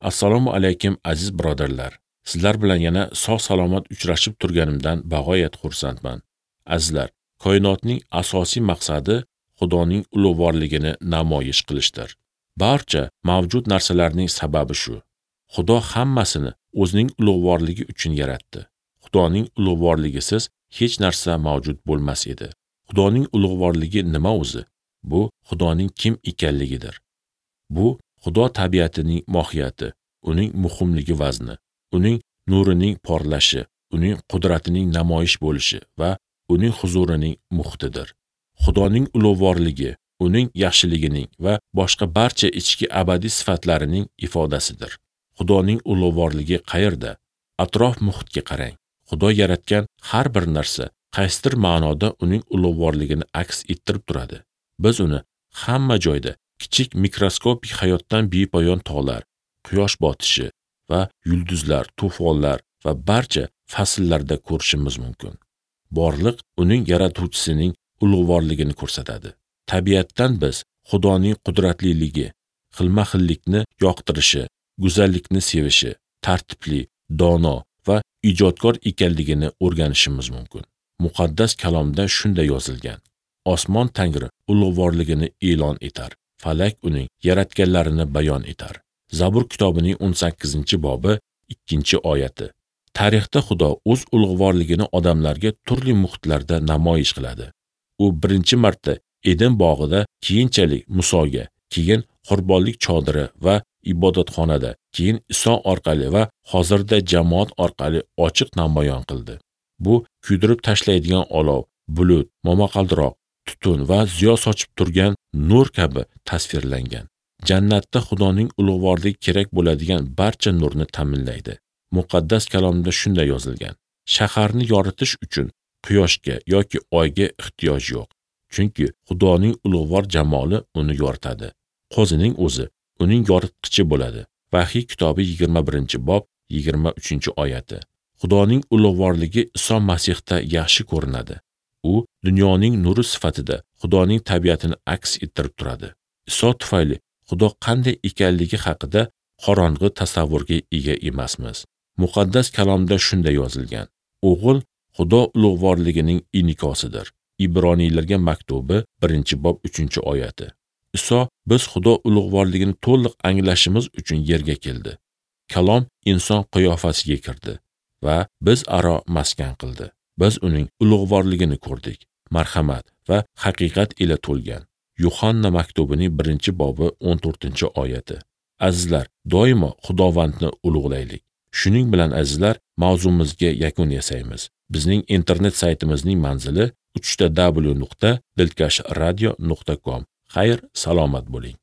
Assalomu alaykum aziz birodarlar. Sizlar bilan yana sog' salomat uchrashib turganimdan bag'oyat xursandman. Azizlar, koinotning asosiy maqsadi Xudoning ulug'vorligini namoyish qilishdir. Barcha mavjud narsalarning sababi shu. Xudo hammasini o'zining ulug'vorligi uchun yaratdi. Xudoning ulug'vorligisiz hech narsa mavjud bo'lmas edi. Xudoning ulug'vorligi nima o'zi? Bu Xudoning kim ekanligidir. Bu Xudo tabiatining mohiyati, uning muhimligi vazni, uning nurining porlashi, uning qudratining namoyish bo'lishi va uning huzurining muhitidir. Xudoning ulug'vorligi, uning yaxshiligining va boshqa barcha ichki abadiy sifatlarining ifodasidir. Xudoning ulug'vorligi qayerda? Atrof muhitga qarang. Xudo yaratgan har bir narsa qaysidir ma'noda uning ulug'vorligini aks ettirib turadi. Biz uni hamma joyda kichik mikroskopik hayotdan bepoyon tog'lar, quyosh botishi va yulduzlar, to'fonlar va barcha fasllarda ko'rishimiz mumkin. Borliq uning yaratuvchisining ulug'vorligini ko'rsatadi. Tabiatdan biz Xudoning qudratliligi, xilma-xillikni yoqtirishi, go'zallikni sevishi, tartibli, dono va ijodkor ekanligini o'rganishimiz mumkin. Muqaddas kalomda shunday yozilgan: Osmon Tangri ulug'vorligini e'lon etar, falak uning yaratganlarini bayon etar. Zabur kitobining 18-bobi 2-oyati. Tarixda Xudo o'z ulug'vorligini odamlarga turli muhitlarda namoyish qiladi. U birinchi marta Eden bog'ida, keyinchalik Musoga, keyin qurbonlik chodiri va ibodatxonada, keyin Iso orqali va hozirda jamoat orqali ochiq namoyon qildi. Bu kuydirib tashlaydigan olov, bulut, momaqaldiroq, tutun va ziyo sochib turgan nur kabi tasvirlangan. Jannatda Xudoning ulug'vorligi kerak bo'ladigan barcha nurni ta'minlaydi. Muqaddas kalomda shunday yozilgan: Shaharni yoritish uchun quyoshga yoki oyga ehtiyoj yo'q, chunki Xudoning ulug'vor jamoli uni yoritadi. Qo'zining o'zi uning yoritqichi bo'ladi. Vahiy kitobi 21-bob 23-oyati. Xudoning ulug'vorligi Iso Masihda yaxshi ko'rinadi. U dunyoning nuri sifatida Xudoning tabiatini aks ettirib turadi. Iso tufayli Xudo qanday ekanligi haqida qorong'i tasavvurga ega emasmiz. Muqaddas kalomda shunday yozilgan: O'g'il Xudo ulug'vorligining inikosidir. Ibroniylarga maktubi 1-bob 3-oyati. Iso biz Xudo ulug'vorligini to'liq anglashimiz uchun yerga keldi. Kalom inson qiyofasiga kirdi va biz aro maskan qildi. Biz uning ulug'vorligini ko'rdik, marhamat va haqiqat ila to'lgan. Yuhanna maktubining 1-bobi 14-oyati. Azizlar, doimo Xudovandni ulug'laylik. Shuning bilan azizlar, mavzumizga yakun yasaymiz. Bizning internet saytimizning manzili www.dilkashradio.com. Xayr, salomat bo'ling.